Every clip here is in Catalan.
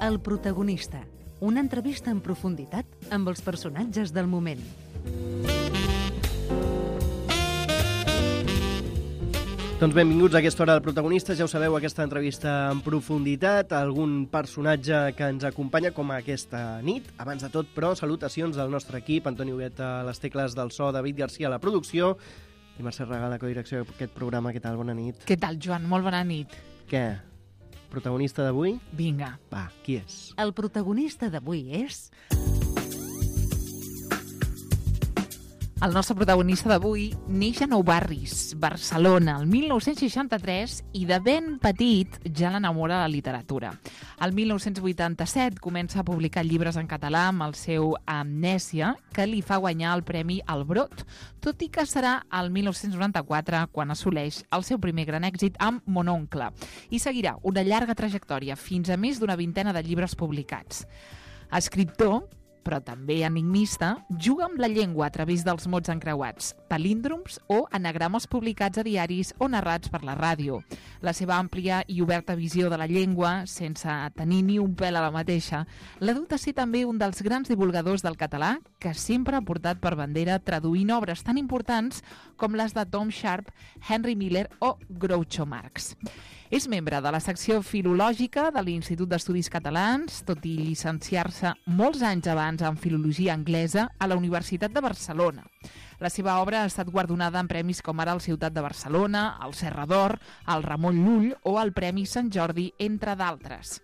El protagonista. Una entrevista en profunditat amb els personatges del moment. Doncs benvinguts a aquesta hora del protagonista. Ja ho sabeu, aquesta entrevista en profunditat, algun personatge que ens acompanya com aquesta nit. Abans de tot, però, salutacions del nostre equip, Antoni Huguet a les tecles del so, David Garcia a la producció i Mercè Regal a la codirecció d'aquest programa. Què tal? Bona nit. Què tal, Joan? Molt bona nit. Què? Protagonista d'avui? Vinga. Va, qui és? El protagonista d'avui és... El nostre protagonista d'avui neix a Nou Barris, Barcelona, el 1963, i de ben petit ja l'enamora la literatura. El 1987 comença a publicar llibres en català amb el seu Amnèsia, que li fa guanyar el Premi al Brot, tot i que serà el 1994 quan assoleix el seu primer gran èxit amb Mon oncle, i seguirà una llarga trajectòria fins a més d'una vintena de llibres publicats. Escriptor, però també enigmista, juga amb la llengua a través dels mots encreuats, palíndroms o anagrames publicats a diaris o narrats per la ràdio. La seva àmplia i oberta visió de la llengua, sense tenir ni un pèl a la mateixa, l'ha dut a ser també un dels grans divulgadors del català que sempre ha portat per bandera traduint obres tan importants com les de Tom Sharp, Henry Miller o Groucho Marx. És membre de la secció filològica de l'Institut d'Estudis Catalans, tot i llicenciar-se molts anys abans en filologia anglesa a la Universitat de Barcelona. La seva obra ha estat guardonada en premis com ara el Ciutat de Barcelona, el Serra d'Or, el Ramon Llull o el Premi Sant Jordi, entre d'altres.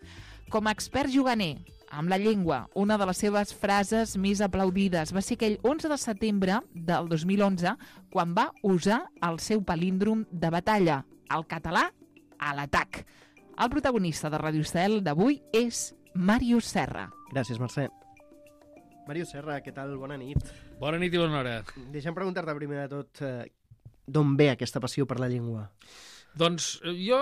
Com a expert juganer amb la llengua, una de les seves frases més aplaudides va ser aquell 11 de setembre del 2011, quan va usar el seu palíndrom de batalla, el català a l'atac. El protagonista de Radio Estel d'avui és Màrius Serra. Gràcies, Mercè. Màrius Serra, què tal? Bona nit. Bona nit i bona hora. Deixa'm preguntar-te primer de tot d'on ve aquesta passió per la llengua? Doncs jo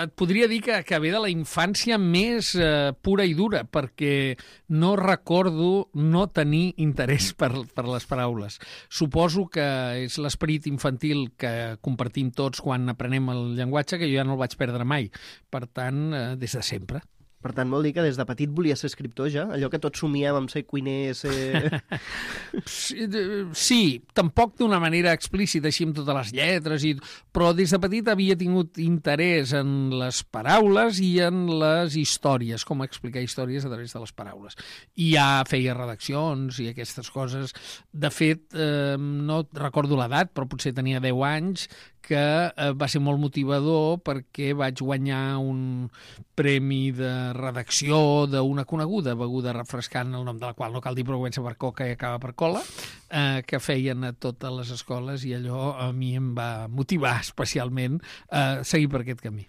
et podria dir que ve de la infància més pura i dura, perquè no recordo no tenir interès per les paraules. Suposo que és l'esperit infantil que compartim tots quan aprenem el llenguatge, que jo ja no el vaig perdre mai. Per tant, des de sempre. Per tant, vol dir que des de petit volia ser escriptor ja? Allò que tots somiem amb ser cuiner, ser... Sí, tampoc d'una manera explícita, així amb totes les lletres, però des de petit havia tingut interès en les paraules i en les històries, com explicar històries a través de les paraules. I ja feia redaccions i aquestes coses. De fet, no recordo l'edat, però potser tenia 10 anys, que va ser molt motivador perquè vaig guanyar un premi de redacció d'una coneguda beguda refrescant, el nom de la qual no cal dir, però comença per coca i acaba per cola, que feien a totes les escoles, i allò a mi em va motivar especialment a seguir per aquest camí.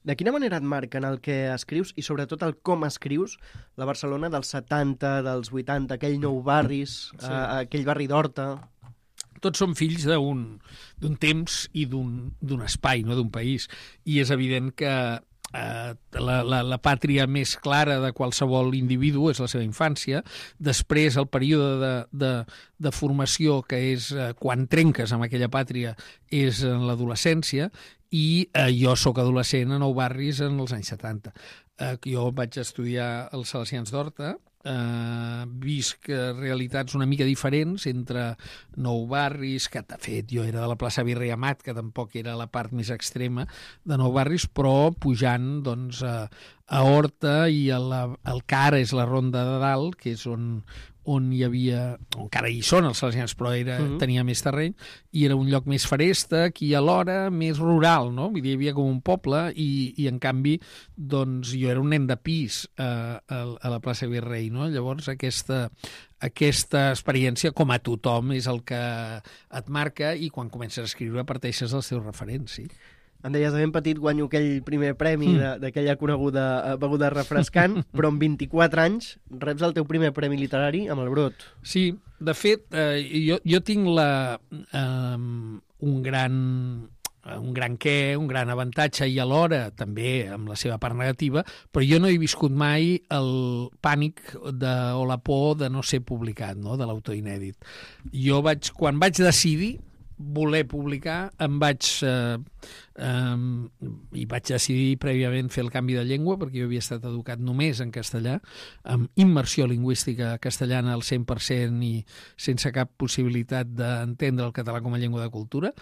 De quina manera et marquen el que escrius i sobretot el com escrius la Barcelona dels 70, dels 80, aquell Nou Barris, sí. Aquell barri d'Horta... Tots som fills d'un temps i d'un espai, no d'un país. I és evident que la pàtria més clara de qualsevol individu és la seva infància. Després, el període de formació, que és quan trenques amb aquella pàtria, és en l'adolescència, i jo sóc adolescent a Nou Barris en els anys 70. Jo vaig estudiar als Salesians d'Horta, visc realitats una mica diferents entre Nou Barris, que de fet jo era de la plaça Virrei Amat, que tampoc era la part més extrema de Nou Barris, però pujant doncs, a Horta i el que ara és la Ronda de Dalt, que és on hi havia, encara hi són els Salesians, però tenia més terreny, i era un lloc més ferèstec i alhora més rural, no? Vull dir, hi havia com un poble i en canvi, doncs, jo era un nen de pis a la plaça Virrei, no? Llavors, aquesta experiència, com a tothom, és el que et marca, i quan comences a escriure parteixes dels teus referents, sí. Em deies, de ben petit guanyo aquell primer premi d'aquella coneguda beguda refrescant, però amb 24 anys reps el teu primer premi literari amb el Brot. Sí, de fet, jo tinc un gran avantatge, i alhora també amb la seva part negativa, però jo no he viscut mai el pànic o la por de no ser publicat, no? De l'autor inèdit. Jo quan vaig decidir voler publicar, em vaig i vaig decidir prèviament fer el canvi de llengua, perquè jo havia estat educat només en castellà, amb immersió lingüística castellana al 100% i sense cap possibilitat d'entendre el català com a llengua de cultura.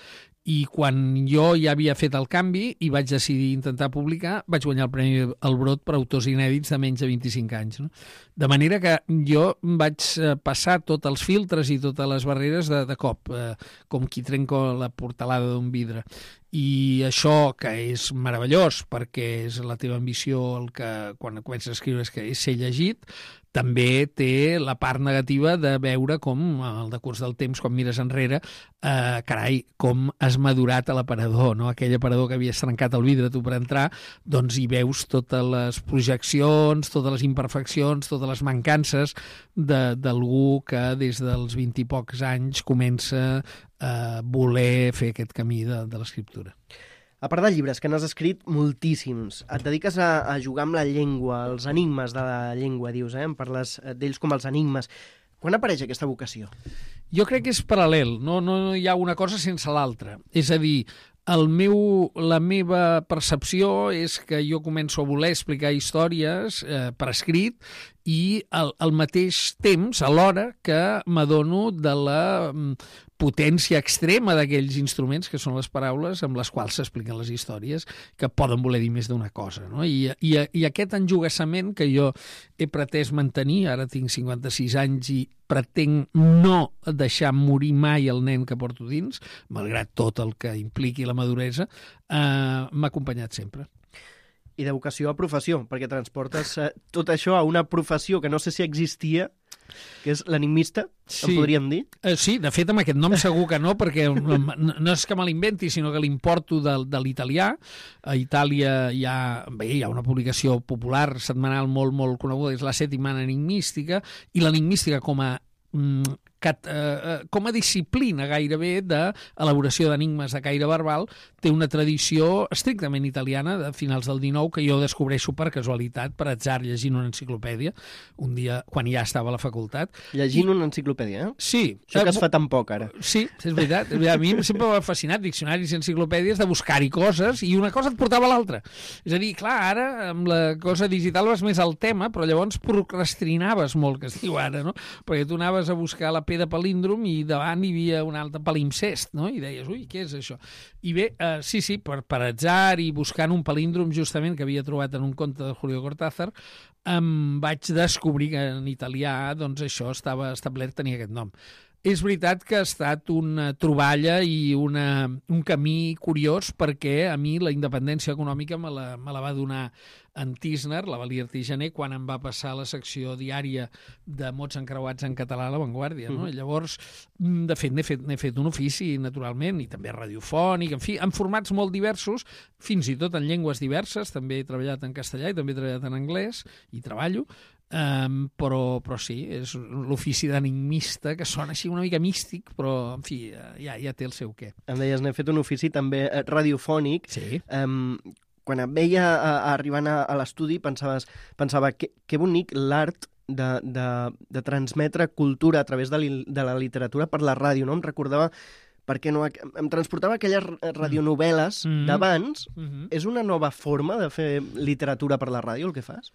I quan jo ja havia fet el canvi i vaig decidir intentar publicar, vaig guanyar el Premi Albrot per autors inèdits de menys de 25 anys. No? De manera que jo vaig passar tots els filtres i totes les barreres de cop, com qui trenca la portalada d'un vidre. I això, que és meravellós, perquè és la teva ambició el que quan comences a escriure és que és ser llegit, també té la part negativa de veure com, al decurs del temps, quan mires enrere, carai, com has madurat a l'aparador, no? Aquell aparador que havies trencat el vidre tu per entrar, doncs hi veus totes les projeccions, totes les imperfeccions, totes les mancances d'algú que des dels 20 i pocs anys comença a voler fer aquest camí de l'escriptura. A part de llibres, que n'has escrit moltíssims, et dediques a jugar amb la llengua, els enigmes de la llengua, dius, en parles d'ells com els enigmes. Quan apareix aquesta vocació? Jo crec que és paral·lel, no hi ha una cosa sense l'altra. És a dir, la meva percepció és que jo començo a voler explicar històries per escrit i al mateix temps, alhora, que m'adono de la potència extrema d'aquells instruments que són les paraules amb les quals s'expliquen les històries, que poden voler dir més d'una cosa. No? I aquest enjogassament que jo he pretès mantenir, ara tinc 56 anys i pretenc no deixar morir mai el nen que porto dins, malgrat tot el que impliqui la maduresa, m'ha acompanyat sempre. I de vocació a professió, perquè transportes tot això a una professió que no sé si existia, que és l'enigmista, sí. En podríem dir? Sí, de fet, amb aquest nom segur que no, perquè no és que me l'inventi, sinó que l'importo de l'italià. A Itàlia hi ha una publicació popular setmanal molt, molt coneguda, és la Settimana Enigmística, i l'enigmística com a disciplina gairebé d'elaboració d'enigmes de caire verbal té una tradició estrictament italiana de finals del XIX que jo descobreixo per casualitat, per atzar, llegint una enciclopèdia un dia quan ja estava a la facultat. Llegint una enciclopèdia, eh? Sí. Això que es fa tan poc ara. Sí, és veritat. A mi sempre m'ha fascinat diccionaris i enciclopèdies de buscar-hi coses i una cosa et portava a l'altra. És a dir, clar, ara amb la cosa digital vas més al tema, però llavors procrastinaves molt, que es diu ara, no? Perquè tu anaves a buscar la P de palíndrom i davant hi havia un altre palimpsest, no? I deies, ui, què és això? I bé, sí, per atzar i buscant un palíndrom justament que havia trobat en un conte de Julio Cortázar, vaig descobrir que en italià doncs això estava establert, tenia aquest nom. És veritat que ha estat una troballa i un camí curiós perquè a mi la independència econòmica me la va donar en Tisner, la Valia Artigener, quan em va passar la secció diària de mots encreuats en català a La Vanguardia. No? I llavors, de fet, n'he fet un ofici, naturalment, i també radiofònic, en fi, en formats molt diversos, fins i tot en llengües diverses. També he treballat en castellà i també he treballat en anglès, i treballo, però sí, és l'ofici d'enigmista, que sona així una mica místic, però, en fi, ja té el seu què. Em deies, n'he fet un ofici també radiofònic. Sí. Quan em veia arribant a l'estudi pensava que bonic l'art de transmetre cultura a través de la literatura per la ràdio, no? Em recordava, perquè no, em transportava aquelles radionovel·les d'abans. És una nova forma de fer literatura per la ràdio, el que fas?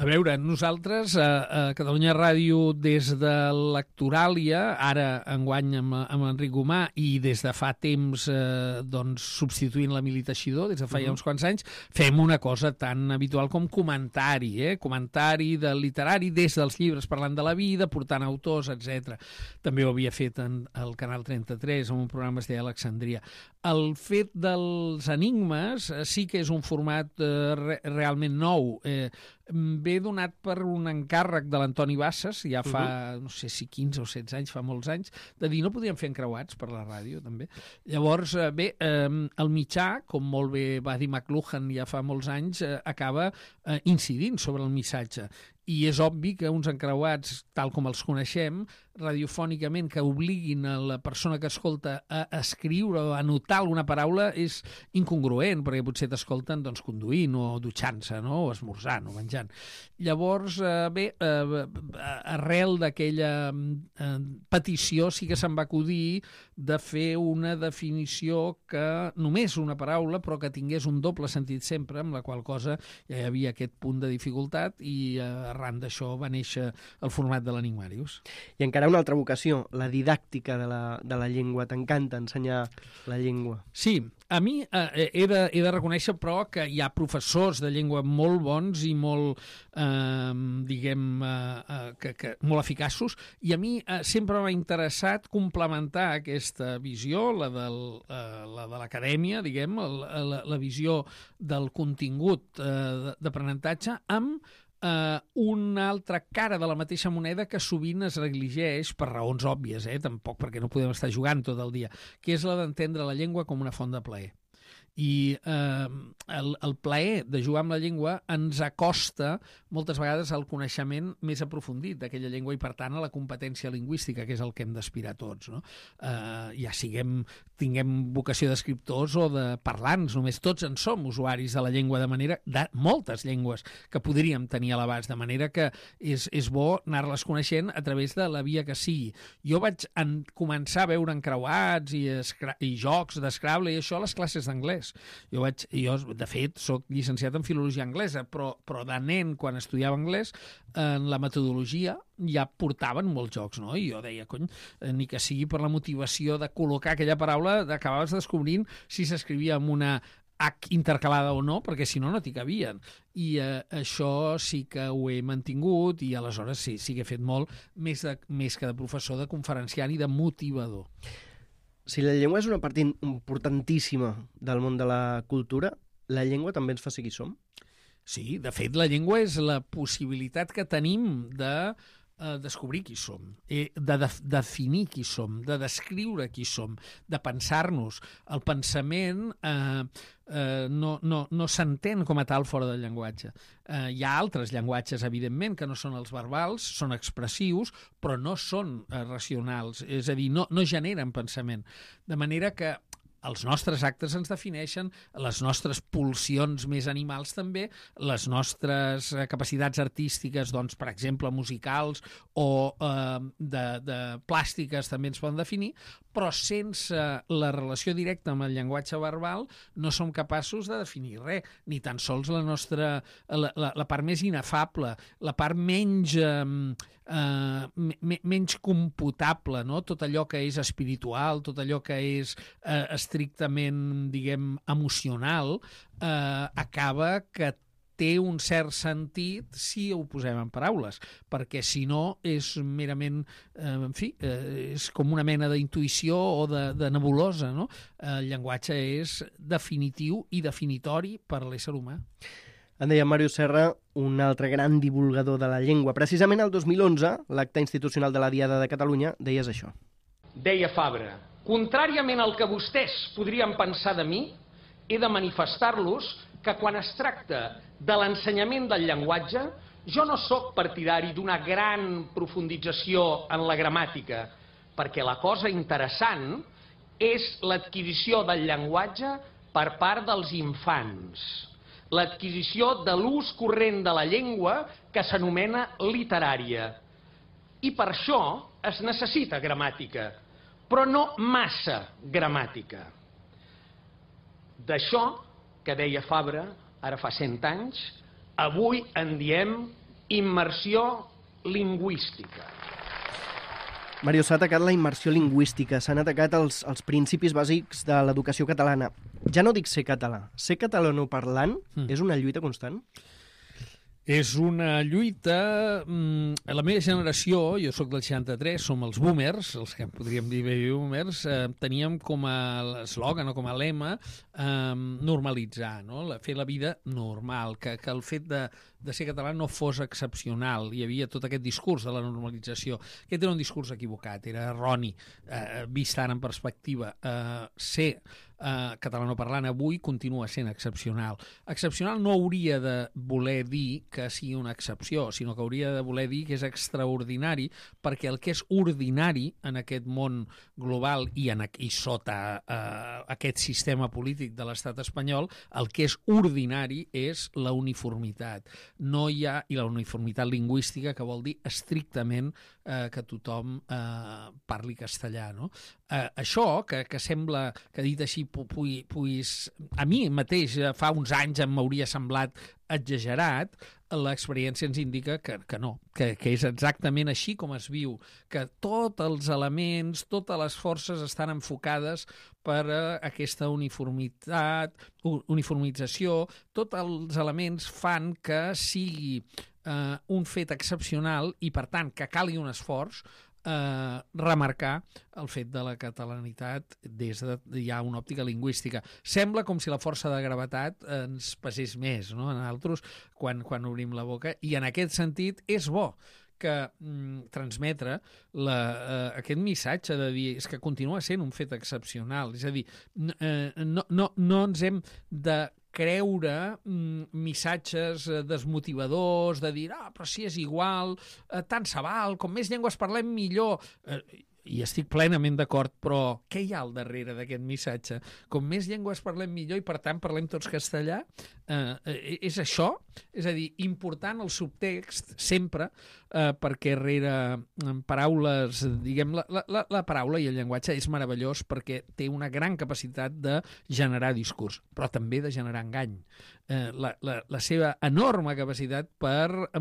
A veure, nosaltres a Catalunya Ràdio, des de l'Actoràlia, ara enguany amb Enric Gomà, i des de fa temps substituint la Mili Teixidor, des de fa ja uns quants anys, fem una cosa tan habitual com comentari, comentari de literari des dels llibres parlant de la vida, portant autors, etc. També ho havia fet al Canal 33, en un programa que es deia Alexandria. El fet dels enigmes sí que és un format realment nou. Ve donat per un encàrrec de l'Antoni Bassas, ja fa, no sé si 15 o 16 anys, fa molts anys, de dir no podíem fer encreuats per la ràdio, també. Llavors, bé, el mitjà, com molt bé va dir McLuhan ja fa molts anys, acaba incidint sobre el missatge. i és obvi que uns encreuats, tal com els coneixem, radiofònicament, que obliguin a la persona que escolta a escriure o a anotar alguna paraula és incongruent, perquè potser t'escolten doncs, conduint o dutxant-se, no? O esmorzant o menjant. Llavors, arrel d'aquella petició sí que se'n va acudir de fer una definició que només una paraula, però que tingués un doble sentit sempre, amb la qual cosa ja hi havia aquest punt de dificultat i arran d'això va néixer el format de l'Enigmàrius. I encara una altra vocació, la didàctica de la llengua. T'encanta ensenyar la llengua. Sí, a mi he de reconèixer, però, que hi ha professors de llengua molt bons i molt, molt eficaços, i a mi sempre m'ha interessat complementar aquesta visió, la de l'acadèmia, diguem, la visió del contingut d'aprenentatge, amb una altra cara de la mateixa moneda que sovint es negligeix per raons òbvies, tampoc perquè no podem estar jugant tot el dia, que és la d'entendre la llengua com una font de plaer. I el plaer de jugar amb la llengua ens acosta moltes vegades al coneixement més aprofundit d'aquella llengua i, per tant, a la competència lingüística, que és el que hem d'aspirar tots, no? Ja tinguem vocació d'escriptors o de parlants, només tots en som usuaris de la llengua, de moltes llengües que podríem tenir a l'abast, de manera que és bo anar-les coneixent a través de la via que sigui. Jo vaig començar a veure encreuats i jocs d'Scrabble i això a les classes d'anglès. Jo, de fet, soc llicenciat en filologia anglesa, però de nen, quan estudiava anglès, en la metodologia ja portaven molts jocs, no? I jo deia, ni que sigui per la motivació de col·locar aquella paraula, acabaves descobrint si s'escrivia amb una H intercalada o no, perquè si no, no t'hi cabien. I això sí que ho he mantingut i aleshores sí que he fet molt, més que de professor, de conferenciant i de motivador. Si la llengua és una part importantíssima del món de la cultura, la llengua també ens fa ser qui som? Sí, de fet, la llengua és la possibilitat que tenim de descobrir qui som, de definir qui som, de descriure qui som, de pensar-nos. El pensament no s'entén com a tal fora del llenguatge. Hi ha altres llenguatges, evidentment, que no són els verbals, són expressius, però no són racionals, és a dir, no generen pensament. De manera que els nostres actes ens defineixen, les nostres pulsions més animals també, les nostres capacitats artístiques, doncs, per exemple, musicals o de plàstiques també ens poden definir, però sense la relació directa amb el llenguatge verbal no som capaços de definir res, ni tan sols la part més inefable, la part menys computable, no? Tot allò que és espiritual, tot allò que és estrictament, diguem, emocional, acaba que té un cert sentit si ho posem en paraules, perquè si no és merament, és com una mena d'intuïció o de nebulosa, no? El llenguatge és definitiu i definitori per a l'ésser humà. En deia Màrius Serra, un altre gran divulgador de la llengua. Precisament el 2011, l'acte institucional de la Diada de Catalunya, deies això. Deia Fabra, contràriament al que vostès podrien pensar de mi, he de manifestar-los que quan es tracta de l'ensenyament del llenguatge, jo no sóc partidari d'una gran profundització en la gramàtica, perquè la cosa interessant és l'adquisició del llenguatge per part dels infants, l'adquisició de l'ús corrent de la llengua que s'anomena literària. I per això es necessita gramàtica, però no massa gramàtica. D'això que deia Fabra, ara fa 100 anys, avui en diem immersió lingüística. Màrius, s'ha atacat la immersió lingüística, s'han atacat els principis bàsics de l'educació catalana. Ja no dic ser català, ser catalanoparlant és una lluita constant? És una lluita... La meva generació, jo sóc del 63, som els boomers, els que podríem dir baby boomers, teníem com a eslògan o com a lema normalitzar, no? Fer la vida normal, que el fet de ser català no fos excepcional. Hi havia tot aquest discurs de la normalització. Aquest era un discurs equivocat, era erroni, vist ara en perspectiva. Ser catalanoparlant avui continua sent excepcional. Excepcional no hauria de voler dir que sigui una excepció, sinó que hauria de voler dir que és extraordinari, perquè el que és ordinari en aquest món global i sota aquest sistema polític de l'estat espanyol, el que és ordinari és la uniformitat. No hi ha, i la uniformitat lingüística, que vol dir estrictament que tothom parli castellà, no? Això, que sembla que dit així, a mi mateix fa uns anys em m'hauria semblat exagerat, l'experiència ens indica que no, que és exactament així com es viu, que tots els elements, totes les forces estan enfocades per aquesta uniformització, tots els elements fan que sigui un fet excepcional i, per tant, que calgui un esforç remarcar el fet de la catalanitat des de ja una òptica lingüística. Sembla com si la força de gravetat ens pesés més, no?, en altres, quan obrim la boca, i en aquest sentit és bo que transmetre aquest missatge de dir és que continua sent un fet excepcional. És a dir, no ens hem de creure missatges desmotivadors, de dir, però si és igual, tant se val, com més llengües parlem millor. I estic plenament d'acord, però què hi ha al darrere d'aquest missatge? Com més llengües parlem millor i, per tant, parlem tots castellà? És això? És a dir, important el subtext sempre, perquè rere paraules, diguem, la paraula i el llenguatge és meravellós perquè té una gran capacitat de generar discurs, però també de generar engany. La seva enorme capacitat per,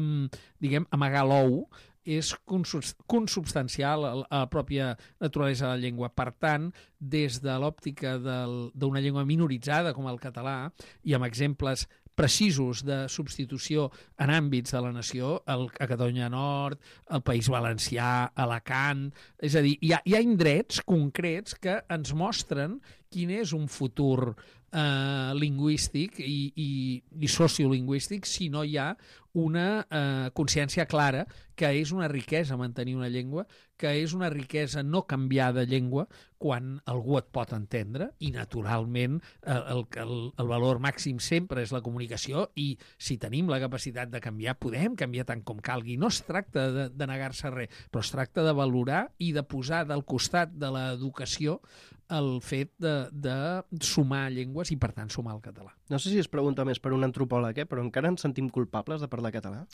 diguem, amagar l'ou és consubstancial a la pròpia naturalesa de la llengua. Per tant, des de l'òptica d'una llengua minoritzada com el català, i amb exemples precisos de substitució en àmbits de la nació, a Catalunya Nord, al País Valencià, Alacant... És a dir, hi ha indrets concrets que ens mostren quin és un futur lingüístic i sociolingüístic si no hi ha una consciència clara que és una riquesa mantenir una llengua, que és una riquesa no canviar de llengua quan algú et pot entendre, i naturalment el valor màxim sempre és la comunicació, i si tenim la capacitat de canviar, podem canviar tant com calgui. No es tracta de negar-se res, però es tracta de valorar i de posar del costat de l'educació el fet de sumar llengües i, per tant, sumar el català. No sé si es pregunta més per un antropòleg, però encara ens sentim culpables de parlar català?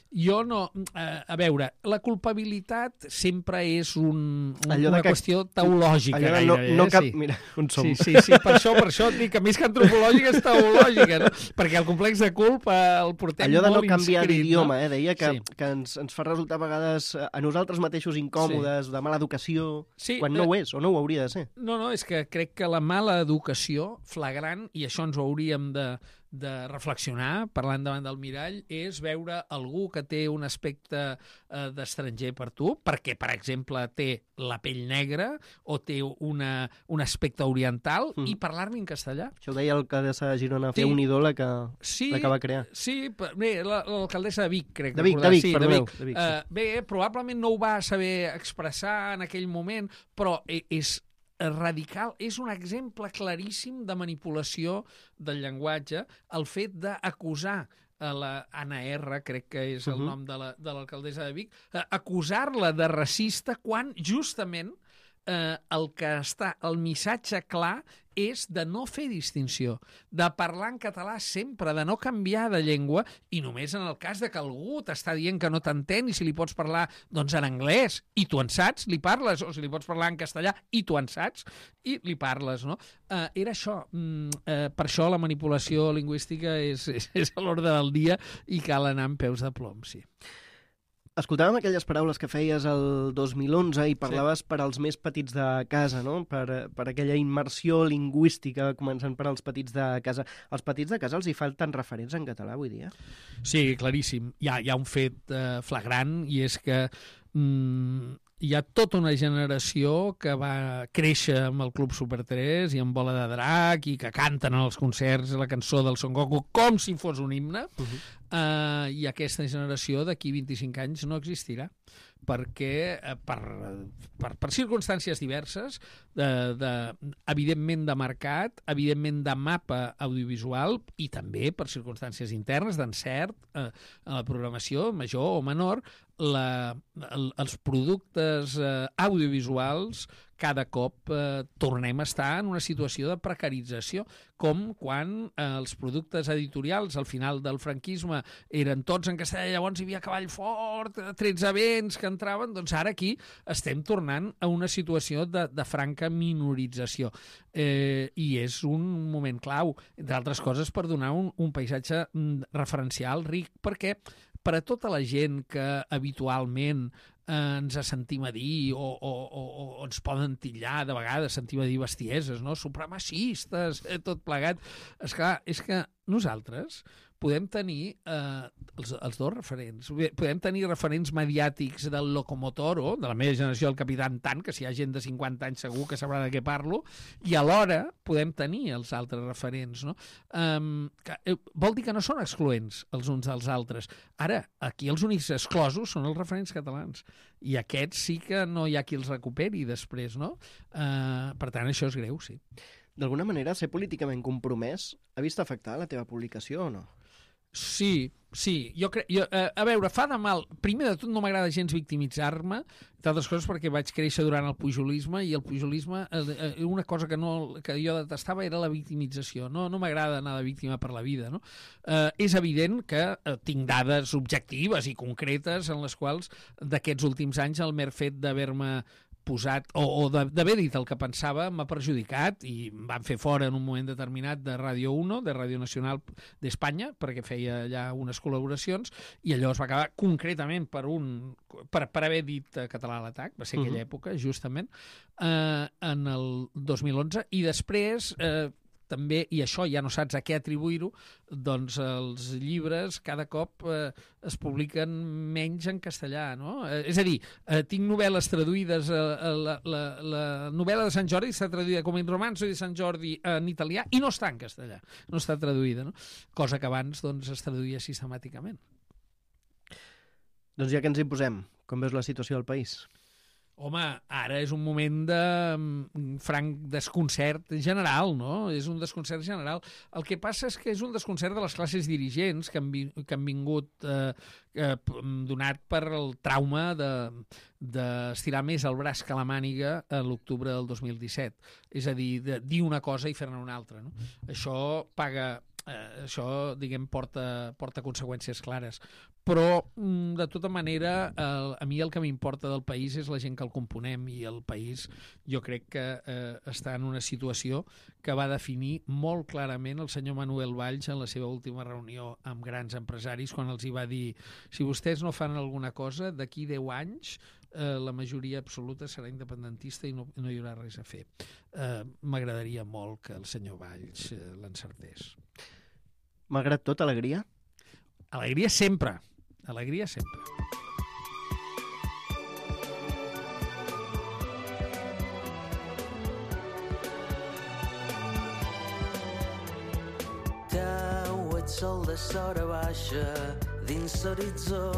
Jo no... A veure, la culpabilitat sempre és una qüestió teològica. Sí. Mira, on som. Sí, per això et dic que més que antropològica és teològica, no? Perquè el complex de culpa el portem molt inscrit. Allò de no canviar d'idioma, deia que ens fa resultar a vegades a nosaltres mateixos incòmodes, de mala educació, quan no ho és, o no ho hauria de ser. No, és que crec que la mala educació flagrant, i això ens ho hauríem de reflexionar, parlant davant del mirall, és veure algú que té un aspecte d'estranger per tu, perquè, per exemple, té la pell negra o té un aspecte oriental, i parlar-li en castellà. Això ho deia l'alcaldessa de Girona, fer un ídol que va crear. Sí, bé, l'alcaldessa de Vic, crec. De Vic. Bé, probablement no ho va saber expressar en aquell moment, però és radical, és un exemple claríssim de manipulació del llenguatge, el fet d'acusar la Anna R, crec que és el nom de l'alcaldessa de Vic, acusar-la de racista quan justament el missatge clar és de no fer distinció, de parlar en català sempre, de no canviar de llengua, i només en el cas de que algú t'està dient que no t'entén, i si li pots parlar doncs en anglès i tu en saps, li parles, o si li pots parlar en castellà i tu en saps i li parles, no? Era això. Per això la manipulació lingüística és a l'ordre del dia i cal anar amb peus de plom, sí. Escoltàvem aquelles paraules que feies el 2011 i parlaves per als més petits de casa, no? Per aquella immersió lingüística, començant per als petits de casa. Als petits de casa els hi falten referents en català avui dia? Sí, claríssim. Hi ha un fet flagrant, i és que hi ha tota una generació que va créixer amb el Club Super 3 i amb Bola de Drac i que canten en els concerts la cançó del Son Goku com si fos un himne, i aquesta generació d'aquí 25 anys no existirà, perquè per circumstàncies diverses, evidentment de mercat, evidentment de mapa audiovisual i també per circumstàncies internes, d'encert a la programació, major o menor, els productes audiovisuals cada cop tornem a estar en una situació de precarització, com quan els productes editorials al final del franquisme eren tots en castellà, llavors hi havia Cavall Fort, 13 vents que entraven, doncs ara aquí estem tornant a una situació de franca minorització. I és un moment clau, entre altres coses, per donar un paisatge referencial ric, perquè per a tota la gent que habitualment ens sentim a dir o ens poden titllar de vegades, sentim a dir bestieses, no? Supremacistes, tot plegat. Esclar, és que nosaltres podem tenir els dos referents. Podem tenir referents mediàtics del Locomotoro, de la meva generació, el Capitán Tan, que si hi ha gent de 50 anys segur que sabrà de què parlo, i alhora podem tenir els altres referents, no? Vol dir que no són excloents els uns dels altres. Ara, aquí els únics exclosos són els referents catalans, i aquests sí que no hi ha qui els recuperi després, no? Per tant, això és greu, sí. D'alguna manera, ser políticament compromès ha vist afectar la teva publicació o no? Sí. Jo a veure, fa de mal. Primer de tot, no m'agrada gens victimitzar-me, d'altres coses perquè vaig créixer durant el pujolisme, i el pujolisme, una cosa que jo detestava era la victimització. No m'agrada anar de víctima per la vida, no? És evident que tinc dades objectives i concretes en les quals d'aquests últims anys el mer fet d'haver-me posat, o d'haver dit el que pensava, m'ha perjudicat, i em van fer fora en un moment determinat de Radio 1, de Radio Nacional d'Espanya, perquè feia allà unes col·laboracions, i allò es va acabar concretament per haver dit català a l'atac, va ser aquella època, justament, en el 2011, i després també, i això ja no saps a què atribuir-ho, doncs els llibres cada cop es publiquen menys en castellà, no? És a dir, tinc novel·les traduïdes, la novel·la de Sant Jordi està traduïda com in romanzo de Sant Jordi en italià i no està en castellà, no està traduïda, no? Cosa que abans doncs, es traduïa sistemàticament. Doncs ja que ens hi posem, com veus la situació del país? Home, ara és un moment de franc desconcert general, no? És un desconcert general. El que passa és que és un desconcert de les classes dirigents que han vingut donat per el trauma d'estirar més el braç que la màniga a l'octubre del 2017. És a dir, de dir una cosa i fer-ne una altra, no? Això, diguem, porta conseqüències clares. Però, de tota manera, a mi el que m'importa del país és la gent que el componem, i el país jo crec que està en una situació que va definir molt clarament el senyor Manuel Valls en la seva última reunió amb grans empresaris, quan els hi va dir: si vostès no fan alguna cosa, d'aquí 10 anys la majoria absoluta serà independentista i no hi haurà res a fer. M'agradaria molt que el senyor Valls l'encertés. Malgrat tot, alegria? Alegria sempre. Alegria sempre. Teu, ets sol de sora baixa dins l'horitzó,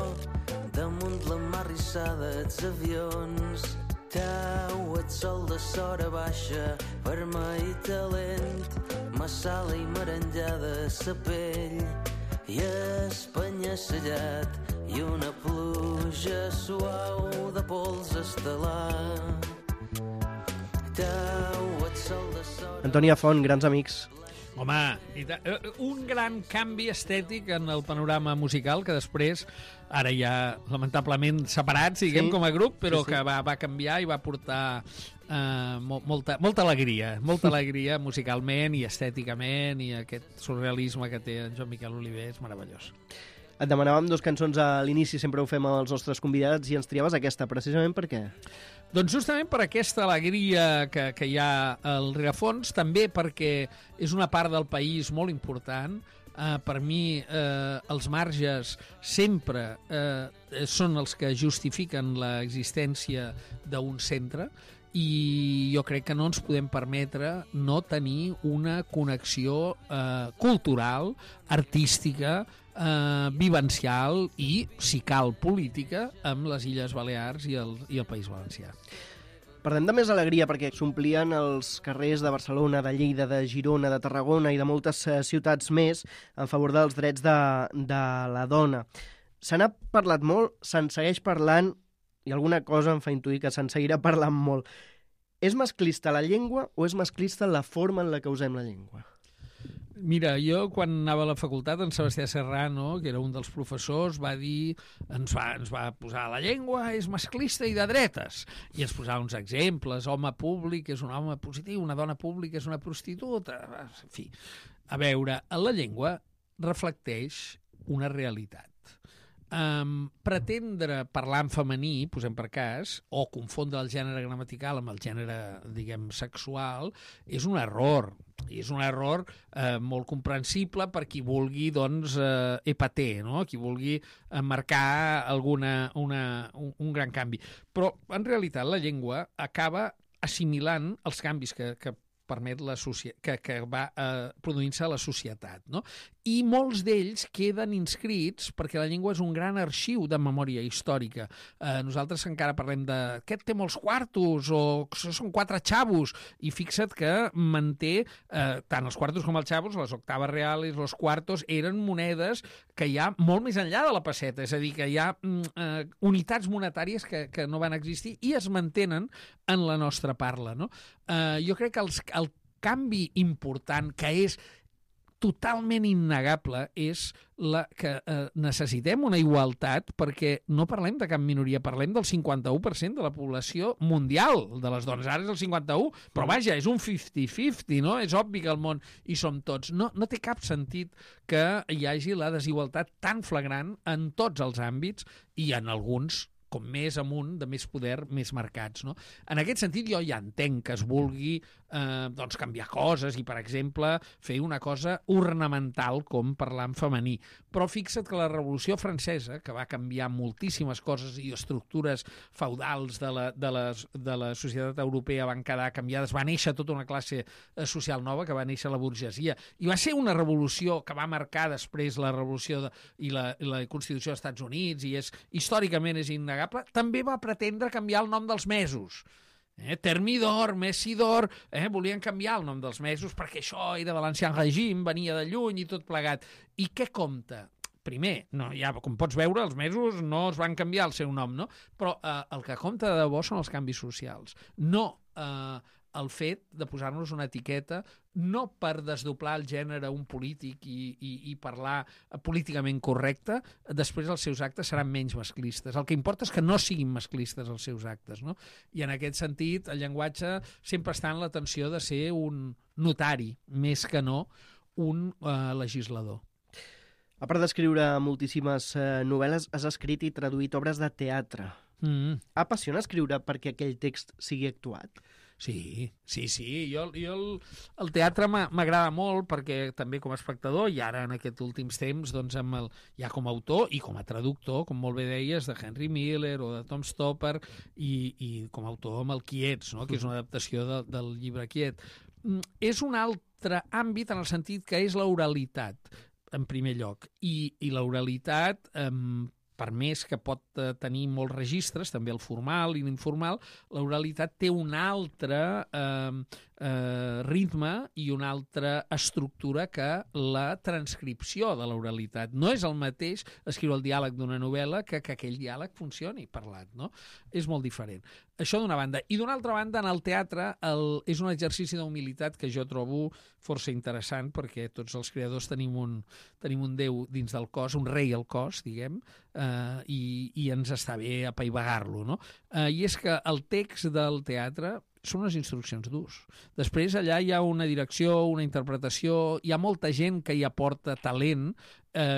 damunt la mar rissada els avions. Teu, ets sol de sora baixa, vermell i talent, massala i merenjada sa pell, i Espanya sellat i una pluja suau de pols estel·lar. Teu, ets sol de sora... Antònia Font, grans amics. Home, un gran canvi estètic en el panorama musical que després, ara ja lamentablement separats, diguem, com a grup, però sí. Que va canviar i va portar molta alegria musicalment i estèticament, i aquest surrealisme que té en Joan Miquel Oliver és meravellós. Et demanàvem 2 cançons a l'inici, sempre ho fem amb els nostres convidats, i ens triaves aquesta, precisament per què? Doncs justament per aquesta alegria que hi ha al rerefons, també perquè és una part del país molt important, Per mi, els marges sempre són els que justifiquen l'existència d'un centre, i jo crec que no ens podem permetre no tenir una connexió cultural, artística, vivencial i, si cal, política amb les Illes Balears i el País Valencià. Parlem de més alegria perquè s'omplien els carrers de Barcelona, de Lleida, de Girona, de Tarragona i de moltes ciutats més en favor dels drets de la dona. Se n'ha parlat molt, se'n segueix parlant, i alguna cosa em fa intuir que se'n seguirà parlant molt. És masclista la llengua o és masclista la forma en la que usem la llengua? Mira, jo quan anava a la facultat, en Sebastià Serrano, que era un dels professors, va dir, ens va posar la llengua és masclista i de dretes, i ens posava uns exemples: home públic és un home positiu, una dona pública és una prostituta, en fi. A veure, la llengua reflecteix una realitat. Pretendre parlar en femení, posem per cas, o confondre el gènere gramatical amb el gènere, diguem, sexual, és un error. I és un error molt comprensible per qui vulgui, doncs, epater, no? Qui vulgui marcar un gran canvi. Però, en realitat, la llengua acaba assimilant els canvis que permet que va produint-se a la societat, no? I molts d'ells queden inscrits perquè la llengua és un gran arxiu de memòria històrica. Nosaltres encara parlem de aquest té molts quartos o són 4 xavos, i fixa't que manté tant els quartos com els xavos, les octaves reales, los quartos, eren monedes que hi ha molt més enllà de la pesseta, és a dir, que hi ha unitats monetàries que no van existir i es mantenen en la nostra parla, no? Jo crec que el canvi important, que és totalment innegable, és que necessitem una igualtat, perquè no parlem de cap minoria, parlem del 51% de la població mundial, de les dones. Ara és el 51%, però vaja, és un 50-50, no? És obvi que al món hi som tots. No té cap sentit que hi hagi la desigualtat tan flagrant en tots els àmbits, i en alguns, com més amunt, de més poder, més marcats, no? En aquest sentit, jo ja entenc que es vulgui doncs canviar coses i, per exemple, fer una cosa ornamental com parlar en femení. Però fixa't que la Revolució Francesa, que va canviar moltíssimes coses i estructures feudals de la societat europea van quedar canviades, va néixer tota una classe social nova, que va néixer la burgesia, i va ser una revolució que va marcar després la revolució i la Constitució dels Estats Units, i històricament és innegable. També va pretendre canviar el nom dels mesos. Termidor, Messidor, volien canviar el nom dels mesos perquè això era de l'ancien règim, venia de lluny i tot plegat. I què compta? Primer, no, ja, com pots veure, els mesos no es van canviar el seu nom, no? Però el que compta de debò són els canvis socials. No el fet de posar-nos una etiqueta, no per desdoblar el gènere un polític i parlar políticament correcte, després els seus actes seran menys masclistes. El que importa és que no siguin masclistes els seus actes, no? I en aquest sentit, el llenguatge sempre està en la tensió de ser un notari, més que no un legislador. A part d'escriure moltíssimes novel·les, has escrit i traduït obres de teatre. Apassiona escriure perquè aquell text sigui actuat? Sí. Jo el teatre m'agrada molt perquè també com a espectador, i ara en aquests últims temps doncs ja com a autor i com a traductor, com molt bé deies, de Henry Miller o de Tom Stoppard, i com a autor amb el Quiets, no? Que és una adaptació del llibre Quiet. És un altre àmbit en el sentit que és l'oralitat, en primer lloc, i l'oralitat, per més que pot tenir molts registres, també el formal i l'informal, l'oralitat té un altre ritme i una altra estructura que la transcripció de l'oralitat. No és el mateix escriure el diàleg d'una novel·la que aquell diàleg funcioni parlat, no? És molt diferent. Això d'una banda. I d'una altra banda, en el teatre és un exercici d'humilitat que jo trobo força interessant, perquè tots els creadors tenim un déu dins del cos, un rei al cos, diguem, i ens està bé apaivagar-lo, no? I és que el text del teatre són unes instruccions d'ús. Després allà hi ha una direcció, una interpretació, hi ha molta gent que hi aporta talent,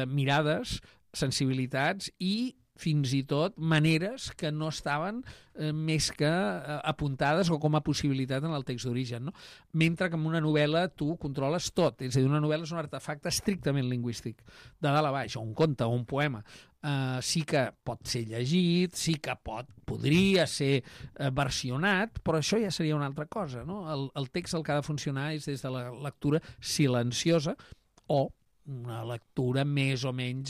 mirades, sensibilitats i fins i tot maneres que no estaven més que apuntades o com a possibilitat en el text d'origen, no? Mentre que en una novel·la tu controles tot, és a dir, una novel·la és un artefacte estrictament lingüístic, de dalt a baix, o un conte o un poema. Sí que pot ser llegit, sí que podria ser versionat, però això ja seria una altra cosa, no? El text el que ha de funcionar és des de la lectura silenciosa o una lectura més o menys,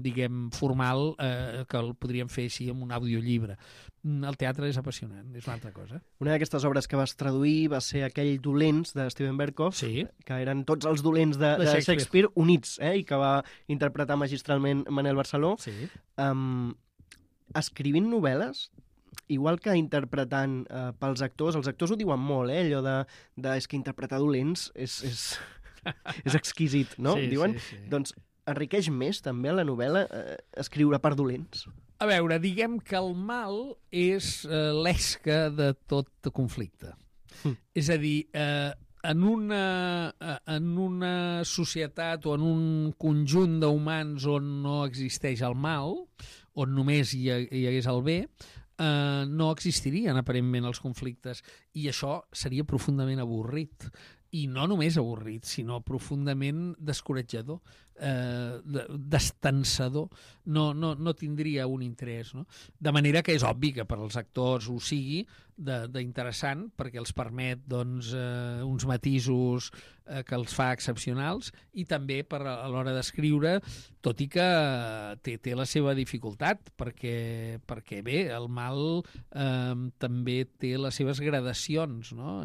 diguem, formal, que el podríem fer així amb un audiollibre. El teatre és apassionant, és una altra cosa. Una d'aquestes obres que vas traduir va ser aquell Dolents de Steven Berkoff, Sí. que eren tots els dolents de Shakespeare units, i que va interpretar magistralment Manel Barceló. Sí. Escrivint novel·les, igual que interpretant pels actors, els actors ho diuen molt, allò de és que interpretar dolents és exquisit, no? Sí, Diuen, sí. doncs enriqueix més també la novel·la escriure per dolents. A veure, diguem que el mal és l'esca de tot conflicte. És a dir, en una societat o en un conjunt d'humans on no existeix el mal, on només hi hagués el bé, no existirien aparentment els conflictes, i això seria profundament avorrit. I no només avorrit, sinó profundament descoratjador, destensador. No tindria un interès, no? De manera que és obvi que per als actors ho sigui d'interessant, perquè els permet doncs, uns matisos que els fa excepcionals, i també a l'hora d'escriure, tot i que té la seva dificultat, perquè bé, el mal també té les seves gradacions, no?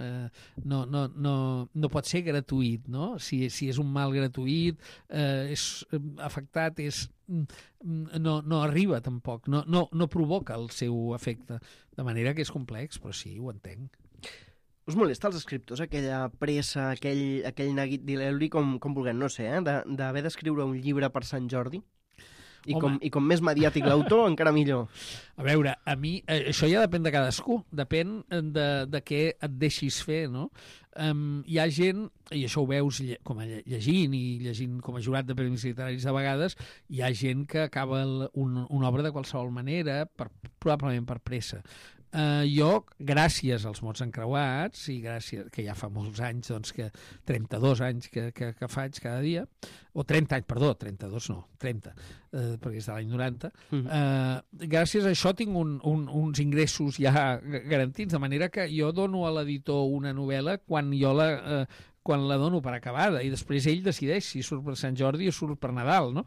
No pot ser gratuït, no? Si és un mal gratuït, és afectat, no arriba tampoc, no provoca el seu efecte, de manera que és complex, però sí, ho entenc. Us molesta als escriptors aquella pressa, aquell neguit d'il·leli, com vulguem, no sé, d'haver d'escriure un llibre per Sant Jordi? I com més mediàtic l'autor, encara millor. A veure, a mi, això ja depèn de cadascú, depèn de què et deixis fer, no? Hi ha gent, i això ho veus com a llegint com a jurat de premis literaris de vegades, hi ha gent que acaba una obra de qualsevol manera, probablement per pressa. Jo, gràcies als mots encreuats, i gràcies, que ja fa molts anys, doncs, 32 anys que faig cada dia, o 30 anys, perdó, 32 no, 30, perquè és de l'any 90, gràcies a això tinc uns ingressos ja garantits, de manera que jo dono a l'editor una novel·la quan la dono per acabada, i després ell decideix si surt per Sant Jordi o surt per Nadal, no?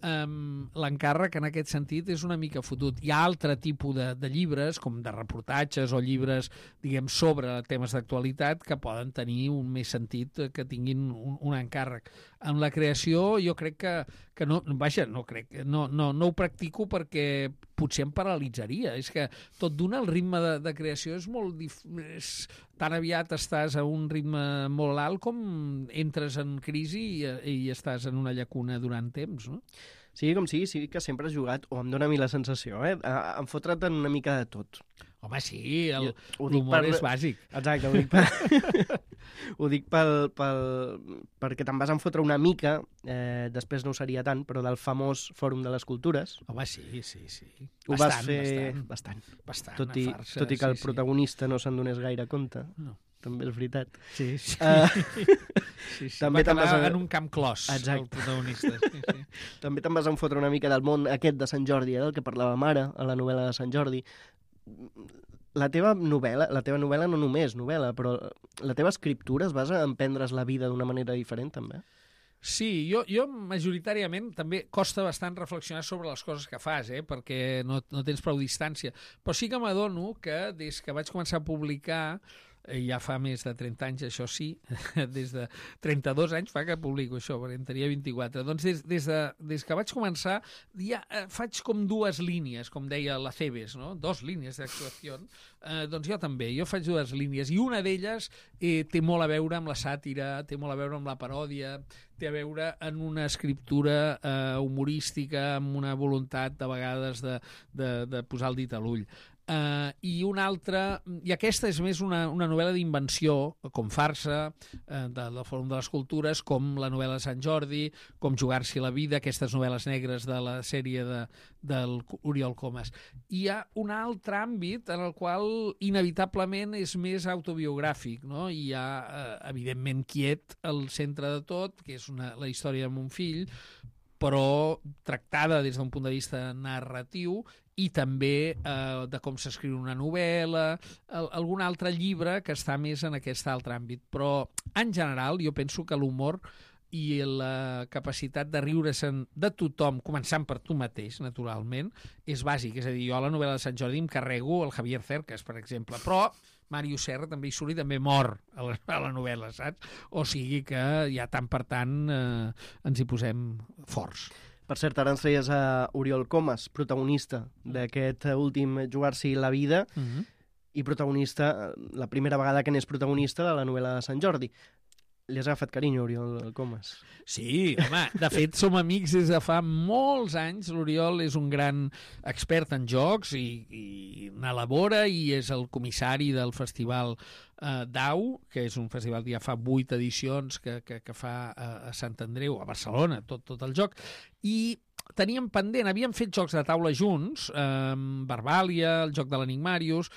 L'encàrrec en aquest sentit és una mica fotut. Hi ha altre tipus de llibres, com de reportatges o llibres, diguem, sobre temes d'actualitat, que poden tenir un més sentit que tinguin un encàrrec. En la creació jo crec que no, vaja, no ho practico perquè potser em paralitzaria. És que tot d'una el ritme de creació és molt tan aviat estàs a un ritme molt alt com entres en crisi i estàs en una llacuna durant temps, no? Sigui com sigui, sí que sempre has jugat, o em dona a mi la sensació, a fotre't en una mica de tot. Home, sí, l'humor és bàsic. Exacte, ho dic perquè te'n vas enfotre una mica, després no ho seria tant, però del famós Fòrum de les Cultures. Home, sí. Ho vas fer bastant. Tot i que el protagonista no se'n donés gaire compte. No. També és veritat. Sí. També va quedar en un camp clos, el protagonista. Sí. També te'n vas enfotre una mica del món aquest de Sant Jordi, del que parlàvem ara, a la novel·la de Sant Jordi. La teva novel·la no només novel·la, però la teva escriptura es basa en prendre's la vida d'una manera diferent, també? Sí, jo majoritàriament també costa bastant reflexionar sobre les coses que fas, perquè no tens prou distància. Però sí que m'adono que des que vaig començar a publicar, ja fa més de 30 anys, això sí, des de 32 anys fa que publico això, perquè en tenia 24. Doncs des que vaig començar ja faig com dues línies, com deia la Cebes, no? 2 línies d'actuació. Doncs jo també, jo faig 2 línies, i una d'elles té molt a veure amb la sàtira, té molt a veure amb la paròdia, té a veure en una escriptura humorística, amb una voluntat de vegades de posar el dit a l'ull. I una altra... I aquesta és més una novel·la d'invenció, com farsa, del Fòrum de les Cultures, com la novel·la de Sant Jordi, com Jugar-s'hi la vida, aquestes novel·les negres de la sèrie del Oriol Comas. Hi ha un altre àmbit en el qual inevitablement és més autobiogràfic, no? Hi ha, evidentment, Quiet al centre de tot, que és la història de mon fill, però tractada des d'un punt de vista narratiu i també de com s'escriu una novel·la, algun altre llibre que està més en aquest altre àmbit. Però, en general, jo penso que l'humor i la capacitat de riure-se'n de tothom, començant per tu mateix, naturalment, és bàsic. És a dir, jo a la novel·la de Sant Jordi em carrego el Javier Cercas, per exemple, però Màrius Serra també hi surt i també mor a la novel·la, saps? O sigui que ja tant per tant ens hi posem forts. Per cert, ara ens feies a Oriol Comas, protagonista d'aquest últim Jugar-s'hi la vida, i protagonista, la primera vegada que n'és protagonista de la novel·la de Sant Jordi. Li has agafat carinyo, Oriol Comas? Sí, home, de fet som amics des de fa molts anys. L'Oriol és un gran expert en jocs i n'elabora i és el comissari del festival DAU, que és un festival que ja fa 8 edicions que fa a Sant Andreu, a Barcelona, tot el joc. I teníem pendent, havíem fet jocs de taula junts, Verbàlia, el joc de l'Enigmàrius,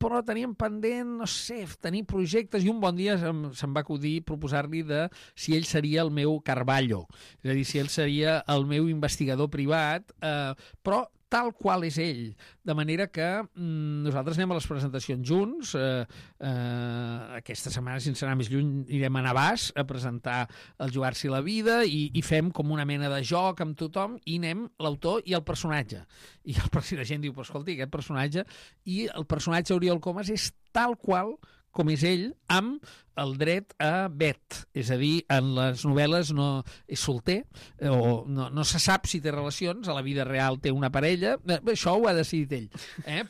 però teníem pendent, no sé, tenir projectes, i un bon dia se'm va acudir proposar-li de si ell seria el meu Carballo, és a dir, si ell seria el meu investigador privat, però tal qual és ell, de manera que nosaltres anem a les presentacions junts, aquesta setmana, sense anar més lluny, anirem a Navàs a presentar el Jugar-s'hi la vida i fem com una mena de joc amb tothom i anem l'autor i el personatge. I la gent diu, però escolti, aquest personatge, i el personatge Oriol Comas és tal qual com és ell, amb el dret a vet. És a dir, en les novel·les no és solter, o no se sap si té relacions, a la vida real té una parella, això ho ha decidit ell.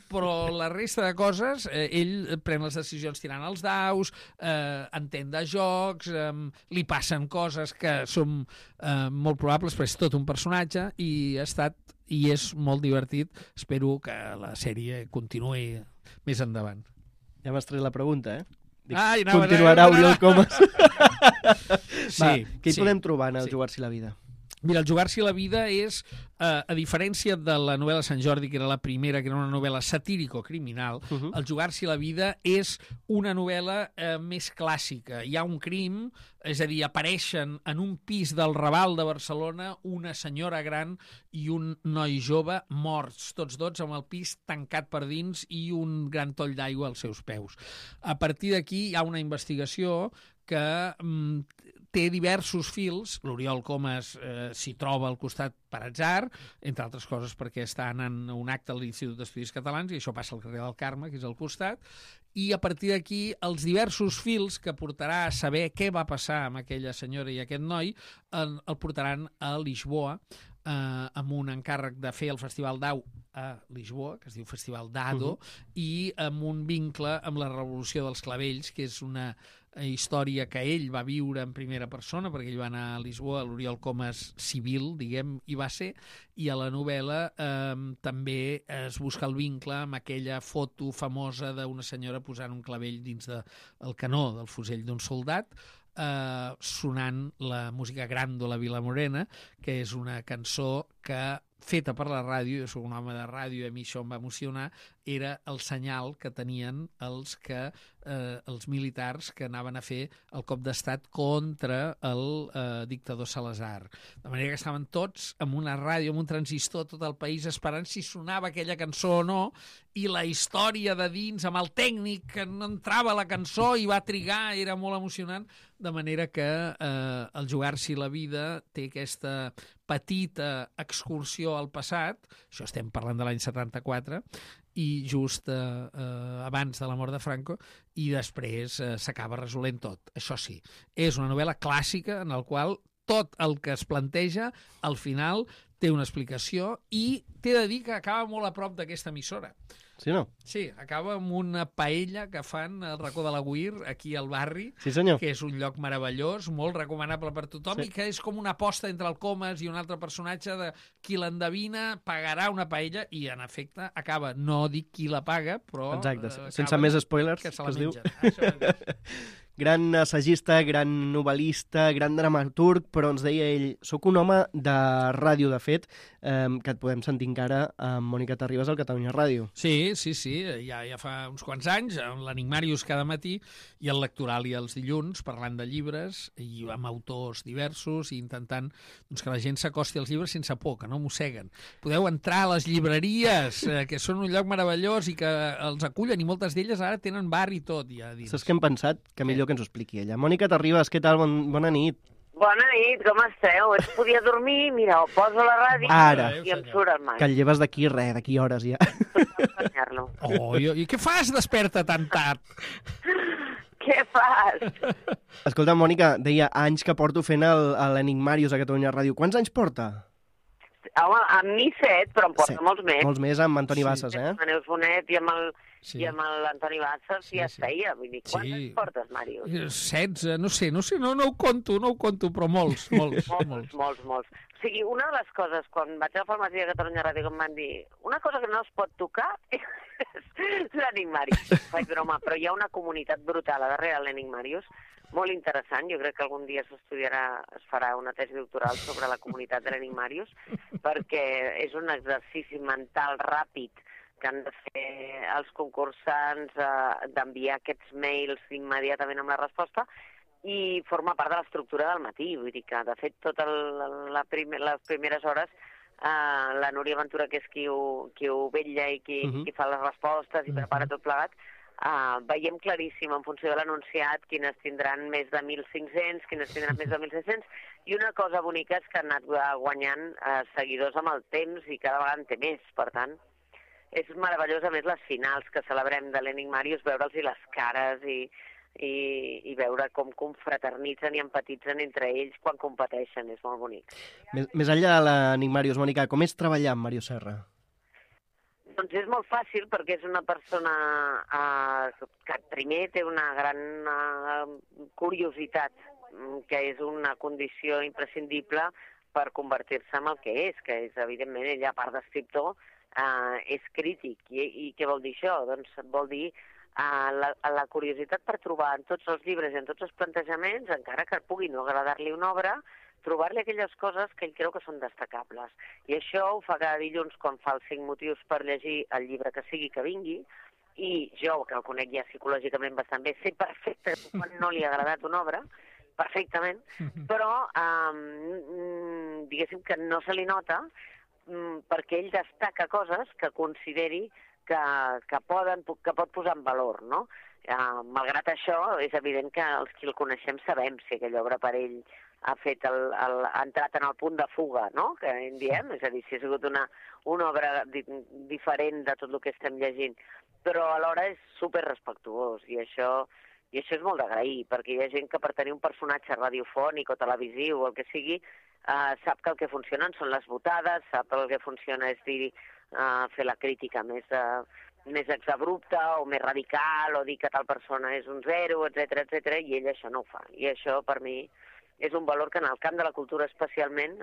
Però la resta de coses, ell pren les decisions tirant els daus, entén de jocs, li passen coses que són molt probables, però és tot un personatge, i és molt divertit. Espero que la sèrie continuï més endavant. Ja m'has tret la pregunta, Dic, anava, continuarà Oriol Comas. Sí, què hi podem trobar en el Jugar-s'hi la vida? Mira, el Jugar-s'hi la vida és, a diferència de la novel·la Sant Jordi, que era la primera, que era una novel·la satírico-criminal, el Jugar-s'hi la vida és una novel·la més clàssica. Hi ha un crim, és a dir, apareixen en un pis del Raval de Barcelona una senyora gran i un noi jove morts, tots dos amb el pis tancat per dins i un gran toll d'aigua als seus peus. A partir d'aquí hi ha una investigació que té diversos fils. L'Oriol Comas s'hi troba al costat per atzar, entre altres coses perquè està anant a un acte a l'Institut d'Estudis Catalans, i això passa al carrer del Carme, que és al costat, i a partir d'aquí els diversos fils que portarà a saber què va passar amb aquella senyora i aquest noi el portaran a Lisboa, amb un encàrrec de fer el Festival DAU a Lisboa, que es diu Festival d'Ado, i amb un vincle amb la Revolució dels Clavells, que és una història que ell va viure en primera persona, perquè ell va anar a Lisboa, l'Oriol Comas civil, diguem, hi va ser, i a la novel·la també es busca el vincle amb aquella foto famosa d'una senyora posant un clavell dins del canó del fusell d'un soldat, sonant la música Gràndola Vilamorena, que és una cançó que feta per la ràdio, jo soc un home de ràdio i a mi això em va emocionar, era el senyal que tenien els militars que anaven a fer el cop d'estat contra el dictador Salazar. De manera que estaven tots amb una ràdio, amb un transistor, tot el país esperant si sonava aquella cançó o no, i la història de dins, amb el tècnic que no entrava a la cançó i va trigar, era molt emocionant, de manera que el Jugar-s'hi la vida té aquesta petita excursió al passat, això estem parlant de l'any 74, i just abans de la mort de Franco, i després s'acaba resolent tot. Això sí, és una novel·la clàssica en la qual tot el que es planteja, al final, té una explicació, i t'he de dir que acaba molt a prop d'aquesta emissora. sí o no? Sí, acaba amb una paella que fan al racó de l'Agüir, aquí al barri, Sí, senyor. que és un lloc meravellós, molt recomanable per tothom, Sí. i que és com una aposta entre el Comas i un altre personatge de qui l'endevina pagarà una paella, i en efecte acaba, no dic qui la paga, però... Exacte, sense acaba més spoilers, que se que la es diu. mengen. Això mateix. Gran assagista, gran novel·lista, gran dramaturg, però ens deia ell, sóc un home de ràdio, de fet, que et podem sentir encara amb Mònica Terribas al Catalunya Ràdio. Sí, ja fa uns quants anys, amb l'Enigmàrius cada matí i el Lectorali els dilluns, parlant de llibres i amb autors diversos i intentant doncs, que la gent s'acosti als llibres sense por, que no mosseguen. Podeu entrar a les llibreries, que són un lloc meravellós i que els acullen, i moltes d'elles ara tenen bar i tot ja dins. Saps què hem pensat? Que millor que ens ho expliqui ella. Mònica Terribas, què tal? Bona nit. Bona nit, com esteu? Es podia dormir, mira, o poso la ràdio Ara. i em surt el mar. Que el lleves d'aquí d'aquí hores ja. Oh, i què fas desperta tan tard? Què fas? Escolta, Mònica, deia anys que porto fent l'Enigmàrius a Catalunya Ràdio. Quants anys porta? Home, amb mi 7, però em porta molts més. Molts més amb Antoni Bassas, eh? Amb Neus Bonet i amb l'Antoni Bassas ja es feia. Vull dir, quants Sí. portes, Màrius? 16, no sé, no ho conto, però molts. Molts. O sigui, una de les coses, quan vaig a la farmàcia de Catalunya Ràdio, que em van dir una cosa que no es pot tocar és l'Enigmàrius. Faig broma, però hi ha una comunitat brutal a darrere l'Enigmàrius, molt interessant. Jo crec que algun dia es farà una tesi doctoral sobre la comunitat de l'Enigmàrius, perquè és un exercici mental ràpid que han de fer els concursants, d'enviar aquests mails immediatament amb la resposta, i forma part de l'estructura del matí. Vull dir que, de fet, totes les primeres hores, la Núria Ventura, que és qui ho vetlla i qui fa les respostes i prepara tot plegat, veiem claríssim en funció de l'anunciat quines tindran més de 1.500, quines tindran més de 1.600, i una cosa bonica és que han anat guanyant seguidors amb el temps i cada vegada en té més. Per tant, és meravellós, a més, les finals que celebrem de l'Enigmàrius, veure'ls les cares i veure com confraternitzen i empatitzen entre ells quan competeixen. És molt bonic. Més enllà de l'Enigmàrius, Mònica, com és treballar amb Mario Serra? Doncs és molt fàcil, perquè és una persona que primer té una gran curiositat, que és una condició imprescindible per convertir-se en el que és, evidentment, ella, a part d'escriptor, és crític. I què vol dir això? Doncs vol dir la curiositat per trobar en tots els llibres i en tots els plantejaments, encara que pugui no agradar-li una obra, trobar-li aquelles coses que ell creu que són destacables. I això ho fa cada dilluns quan fa els 5 motius per llegir el llibre que sigui que vingui, i jo, que el conec ja psicològicament bastant bé, sé perfectament quan no li ha agradat una obra, perfectament, però diguéssim que no se li nota, perquè ell destaca coses que consideri que pot posar en valor, no? Malgrat això, és evident que els qui el coneixem sabem si aquella obra per ell ha entrat en el punt de fuga, no?, que en diem, és a dir, si ha sigut una obra diferent de tot el que estem llegint, però alhora és superrespectuós, i això és molt d'agrair, perquè hi ha gent que per tenir un personatge radiofònic o televisiu o el que sigui, sap que el que funcionen són les botades, sap que el que funciona és fer la crítica més exabrupta o més radical, o dir que tal persona és un zero, etc, i ell això no ho fa. I això, per mi, és un valor que en el camp de la cultura especialment,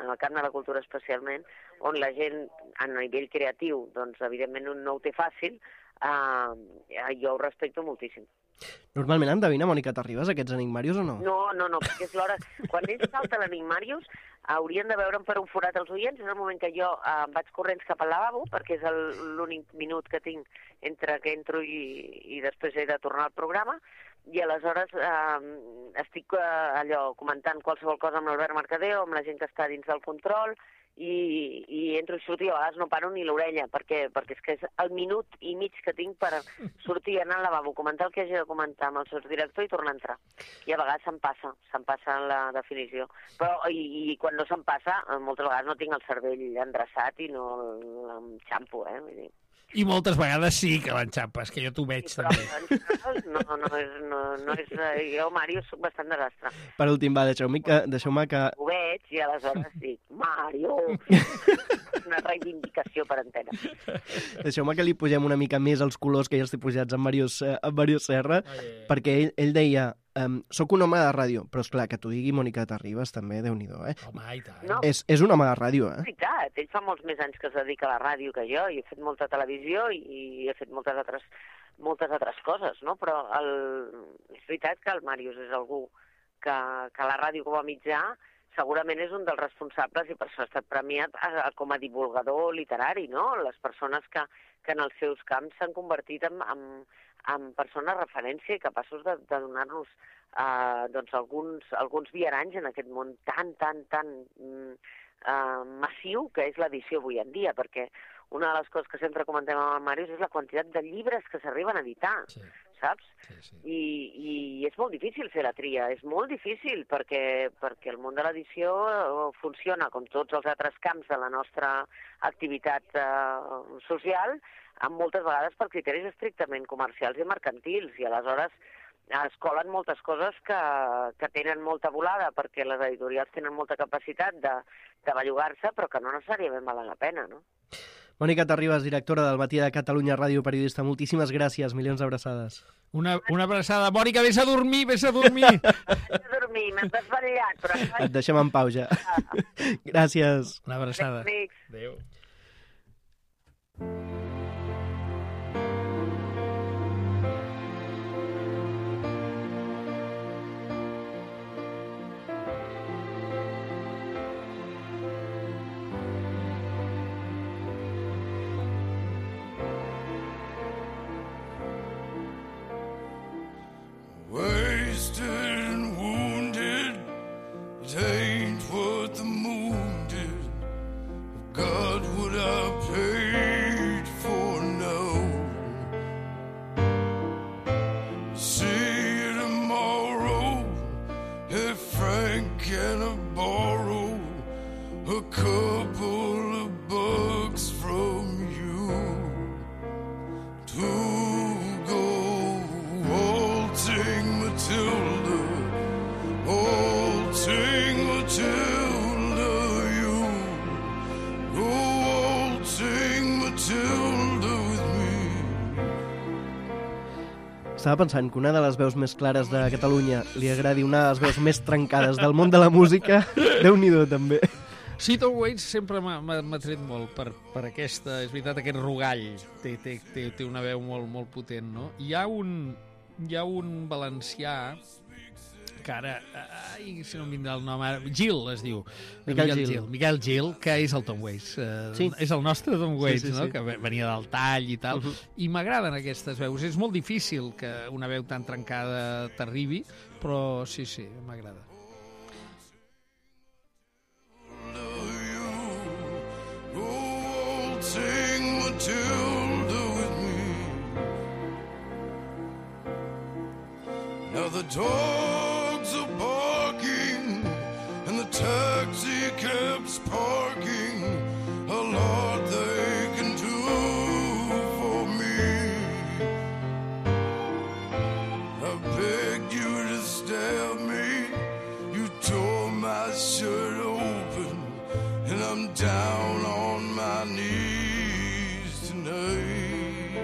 on la gent, a nivell creatiu, doncs, evidentment no ho té fàcil, jo ho respecto moltíssim. Normalment endevina Mònica Terribas aquests Enigmàrius o no? No, perquè és l'hora... Quan ell salta l'Enigmàrius, haurien de veure'm per un forat els oients. És el moment que jo vaig corrents cap al lavabo, perquè és l'únic minut que tinc entre que entro i després he de tornar al programa, i aleshores estic comentant qualsevol cosa amb l'Albert Mercadé o amb la gent que està dins del control, i entro i surto, i a vegades no paro ni l'orella, perquè és que és el minut i mig que tinc per sortir, anar al lavabo, comentar el que hagi de comentar amb el sotsdirector i tornar a entrar. I a vegades se'm passa la definició. Però, i quan no se'm passa, moltes vegades no tinc el cervell endreçat i no l'enxampo, vull dir. I moltes vegades sí que l'enxampes, que jo t'ho veig Però també. no és... Jo, Màrius, soc bastant desastre. Per últim, va, deixeu-me que... Ho veig i aleshores dic, Màriu! Una reivindicació per antena. Deixeu-me que li pugem una mica més els colors que ja estic pujats amb Màrius Serra, perquè ell deia, soc un home de ràdio, però és clar que t'ho digui Mònica Terribas també, Déu-n'hi-do, eh? Home, i tant. No. És un home de ràdio, És veritat, ell fa molts més anys que es dedica a la ràdio que jo, i he fet molta televisió i he fet moltes altres coses, no? Però és veritat que el Màrius és algú que la ràdio com a mitjà segurament és un dels responsables i per això ha estat premiat com a divulgador literari, no? Les persones que en els seus camps s'han convertit en persones referència i capaços de donar-nos doncs alguns viaranys en aquest món tan massiu que és l'edició avui en dia, perquè una de les coses que sempre comentem amb el Màrius és la quantitat de llibres que s'arriben a editar, saps? Sí. I és molt difícil fer la tria, és molt difícil perquè el món de l'edició funciona com tots els altres camps de la nostra activitat social, amb moltes vegades per criteris estrictament comercials i mercantils, i aleshores es colen moltes coses que tenen molta volada perquè les editorials tenen molta capacitat de bellugar-se, però que no necessàriament valen la pena, no? Mònica Terribas, directora del Matí de Catalunya Ràdio, periodista, moltíssimes gràcies, milions d'abraçades. Una abraçada. Mònica, vés a dormir! Vaig a dormir, m'has desvetllat, però... Et deixem en pau, ja. Gràcies. Una abraçada. Adéu. Adéu. Wasted and wounded, it ain't what the moon did. God, would I paid for now? See you tomorrow, if Frank can I borrow a couple of bucks from you to go waltzing Matilda, you go waltzing Matilda with me. Estava pensant que una de les veus més clares de Catalunya li agradi una de les veus més trencades del món de la música. Déu-n'hi-do, també. Sí, Tom Waits sempre m'ha tret molt per aquesta, és veritat, aquest rugall. Té una veu molt potent, no? Hi ha un valencià que ara, si no em vindrà el nom ara, Gil es diu. Miquel Gil, que és el Tom Waits. Sí. És el nostre Tom Waits, sí. no? Que venia del tall i tal. I m'agraden aquestes veus. És molt difícil que una veu tan trencada t'arribi, però sí, m'agrada. Sing Matilda with me. Now the dogs are barking and the taxi cab's parking. A lot they can do for me. I begged you to stab me. You tore my shirt open and I'm down on my knees tonight.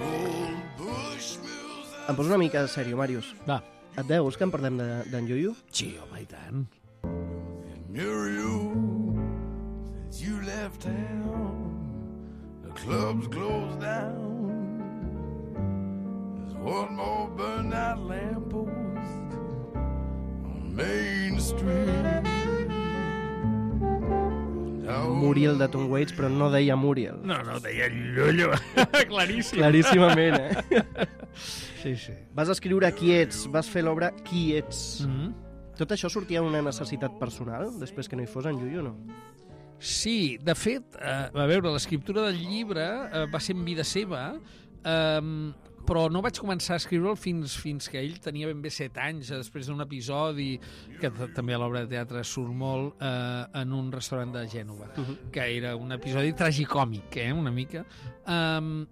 Old Bushmills. Em poso una mica de sèrio, Màrius. Va. Et veus que en parlem d'en Yuyu? Sí, home, i tant. Near you, since you left town, the club's closed down. There's one more burned out lamppost on Main Street. Muriel de Tom Waits, però no deia Muriel. No, deia Llullo. Claríssim. Claríssimament, eh? Sí. Vas escriure Qui ets, vas fer l'obra Qui ets. Mm-hmm. Tot això sortia d'una necessitat personal, després que no hi fos en Yuyu, no? Sí, de fet, a veure, l'escriptura del llibre va ser en vida seva. però no vaig començar a escriure'l fins que ell tenia ben bé 7 anys, després d'un episodi, que també a l'obra de teatre surt molt, en un restaurant de Gènova, que era un episodi tragicòmic, una mica.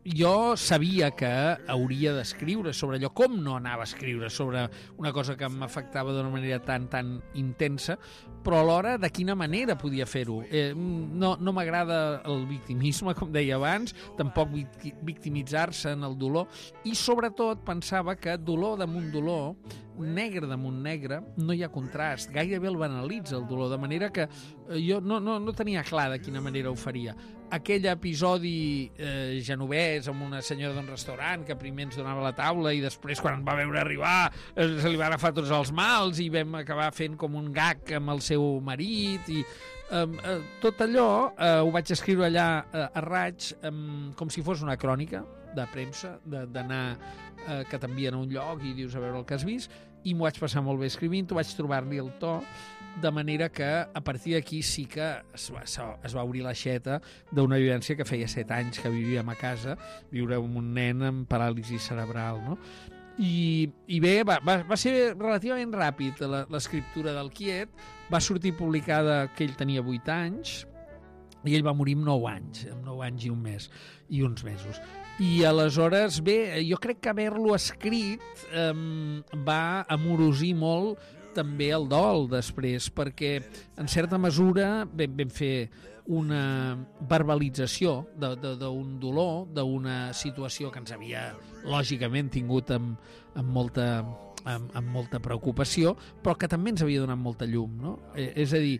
Jo sabia que hauria d'escriure sobre allò, com no anava a escriure sobre una cosa que m'afectava d'una manera tan intensa, però alhora de quina manera podia fer-ho. No m'agrada el victimisme, com deia abans, tampoc victimitzar-se en el dolor, i sobretot pensava que dolor damunt dolor, negre damunt negre, no hi ha contrast, gairebé el banalitza el dolor, de manera que jo no tenia clar de quina manera ho faria. Aquell episodi genovès amb una senyora d'un restaurant que primer ens donava la taula i després quan va veure arribar se li va agafar tots els mals i vam acabar fent com un gag amb el seu marit i tot allò ho vaig escriure allà a raig com si fos una crònica de premsa, d'anar que t'envien a un lloc i dius a veure el que has vist, i m'ho vaig passar molt bé escrivint-ho, vaig trobar-li el to, de manera que a partir d'aquí sí que es va obrir l'aixeta d'una vivència que feia 7 anys que vivíem a casa, viure amb un nen amb paràlisi cerebral, no? I bé, va ser relativament ràpid l'escriptura del Quiet, va sortir publicada que ell tenia 8 anys i ell va morir amb 9 anys i un mes i uns mesos. I aleshores, bé, jo crec que haver-lo escrit va amorosir molt també el dol després, perquè en certa mesura vam fer una verbalització d'un dolor, d'una situació que ens havia lògicament tingut amb molta preocupació, però que també ens havia donat molta llum, no? És a dir,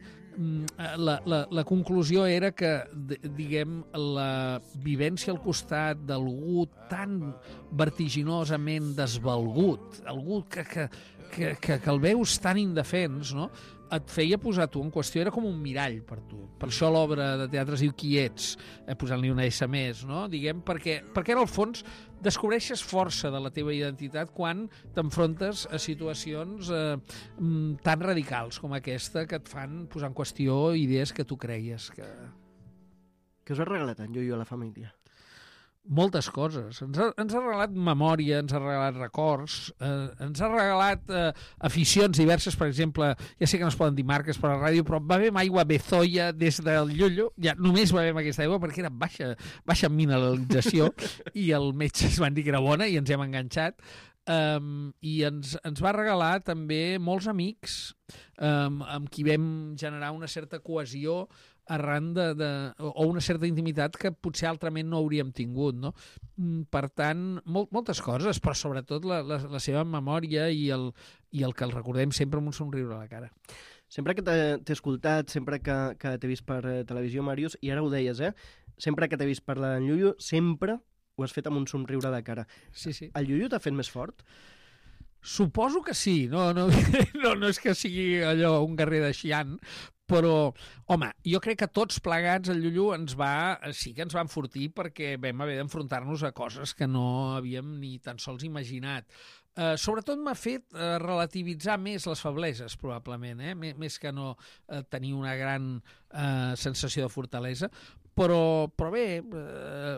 la conclusió era que, diguem, la vivència al costat d'algú tan vertiginosament desvalgut, algú que el veus tan indefens, no?, et feia posar tu en qüestió, era com un mirall per tu. Per això l'obra de teatre es diu Qui ets, posant-li una S més, no? Diguem, perquè en el fons descobreixes força de la teva identitat quan t'enfrontes a situacions tan radicals com aquesta que et fan posar en qüestió idees que tu creies que... Què us ha regalat en Yoyo a la família? Moltes coses. Ens ha regalat memòria, ens ha regalat records, ens ha regalat aficions diverses, per exemple, ja sé que no es poden dir marques per a la ràdio, però bevem aigua Bezoia des del Llollo, ja només bevem aquesta aigua perquè era baixa mineralització i el metge es van dir que era bona i ens hem enganxat. I ens va regalar també molts amics amb qui vam generar una certa cohesió arran o una certa intimitat que potser altrament no hauríem tingut, no? Per tant, moltes coses, però sobretot la seva memòria i el que el recordem sempre amb un somriure a la cara. Sempre que t'he escoltat, sempre que t'he vist per televisió, Màrius, i ara ho deies, sempre que t'he vist parlar d'en Yoyo, sempre ho has fet amb un somriure a la cara. Sí. El Yoyo t'ha fet més fort? Suposo que sí, no és que sigui allò un guerrer de Xi'an, però, home, jo crec que tots plegats el Llullo sí que ens va enfortir perquè vam haver d'enfrontar-nos a coses que no havíem ni tan sols imaginat. Sobretot m'ha fet relativitzar més les febleses, probablement, més que no tenir una gran sensació de fortalesa, però bé,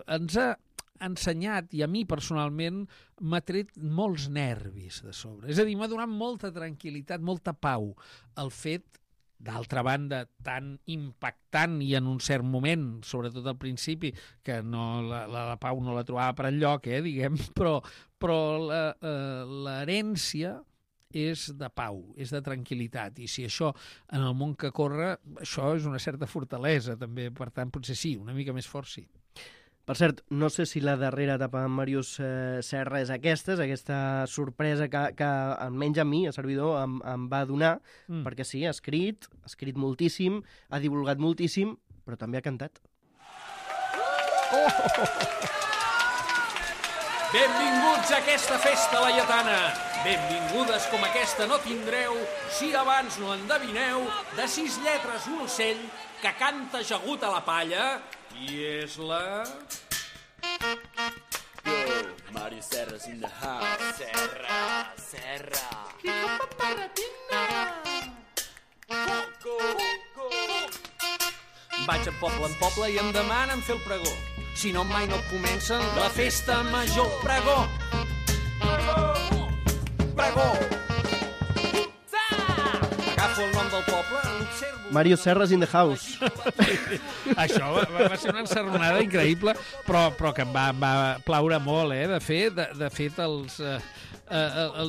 ens ha ensenyat, i a mi personalment m'ha tret molts nervis de sobre. És a dir, m'ha donat molta tranquil·litat, molta pau el fet, d'altra banda, tan impactant i en un cert moment, sobretot al principi, que la pau no la trobava per enlloc, diguem, però l'herència és de pau, és de tranquil·litat, i si això en el món que corre, això és una certa fortalesa també, per tant, potser sí, una mica més fort sí. Per cert, no sé si la darrera etapa amb Màrius Serra és aquesta sorpresa que almenys a mi, a servidor, em va donar, perquè sí, ha escrit moltíssim, ha divulgat moltíssim, però també ha cantat. Benvinguts a aquesta festa laietana. Benvingudes com aquesta no tindreu si abans no endevineu de 6 lletres un ocell que canta ajagut a la palla i és la... Yo, Mario Serra's in the house. Serra. Vaig de poble en poble i em demanen fer el pregó. Si no, mai no comencen la festa major. Pregó! Mario Serras in the house. Això va ser una encerronada increïble, però que em va plaure molt, De fet,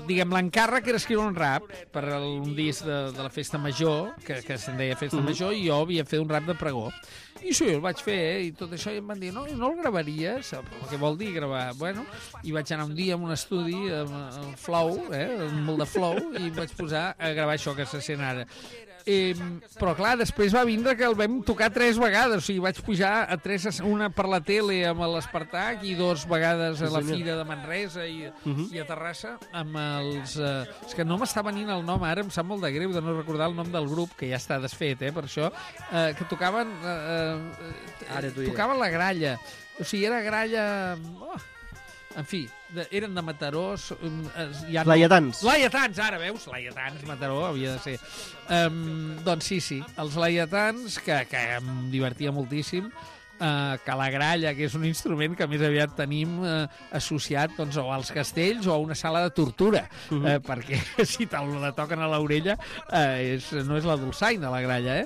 diguem, l'encàrrec era escriure un rap per un disc de la Festa Major, que se'n deia Festa Major, i jo havia fet un rap de pregó. I això jo el vaig fer, i tot això, i em van dir, no el gravaries? Què vol dir gravar? Bueno, i vaig anar un dia a un estudi, amb Flow, molt de Flow, i vaig posar a gravar això que se sent ara. Però clar, després va vindre que el vam tocar 3 vegades, o sigui, vaig pujar a 3, una per la tele amb l'Espartac i 2 vegades a la Fira de Manresa i a Terrassa amb els... És que no m'està venint el nom ara, em sap molt de greu de no recordar el nom del grup, que ja està desfet, per això, que tocaven tocaven la gralla, o sigui, era gralla... En fi, eren de Mataró... Laietans. Laietans, ara veus? Laietans, Mataró, havia de ser. Doncs sí, els laietans, que em divertia moltíssim, que la gralla, que és un instrument que més aviat tenim associat doncs, o als castells o a una sala de tortura, perquè si te'l toquen a l'orella no és la dolçaina, la gralla,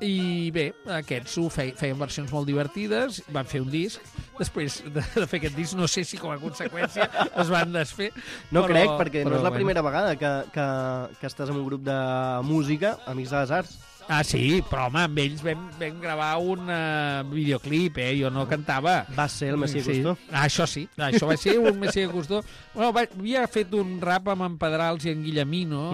I bé, aquests feien versions molt divertides, van fer un disc. Després de fer aquest disc, no sé si com a conseqüència es van desfer. No crec, perquè no és la primera vegada que estàs en un grup de música, Amics de les Arts. Ah, sí, però home, amb ells vam gravar un videoclip, jo no cantava. Va ser el Messier Costó. Això sí, això va ser un Messier Costó. Bueno, havia fet un rap amb en Pedrals i en Guillemino,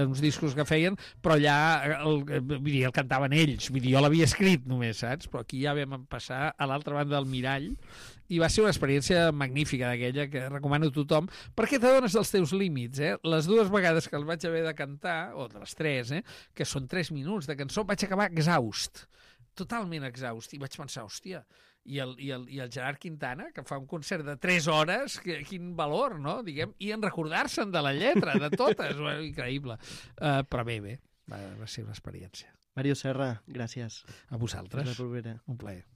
uns discos que feien, però allà el cantaven ells, jo l'havia escrit només, saps? Però aquí ja vam passar a l'altra banda del mirall, i va ser una experiència magnífica d'aquella que recomano a tothom, perquè t'adones dels teus límits, Les 2 vegades que el vaig haver de cantar, o de les 3, que són 3 minuts de cançó, vaig acabar exhaust, totalment exhaust, i vaig pensar, hòstia, i el Gerard Quintana, que fa un concert de 3 hores, quin valor, no?, diguem, i en recordar-se'n de la lletra, de totes, increïble. Però bé, va ser una experiència. Mario Serra, gràcies. A vosaltres. Fins la propera. Un plaer.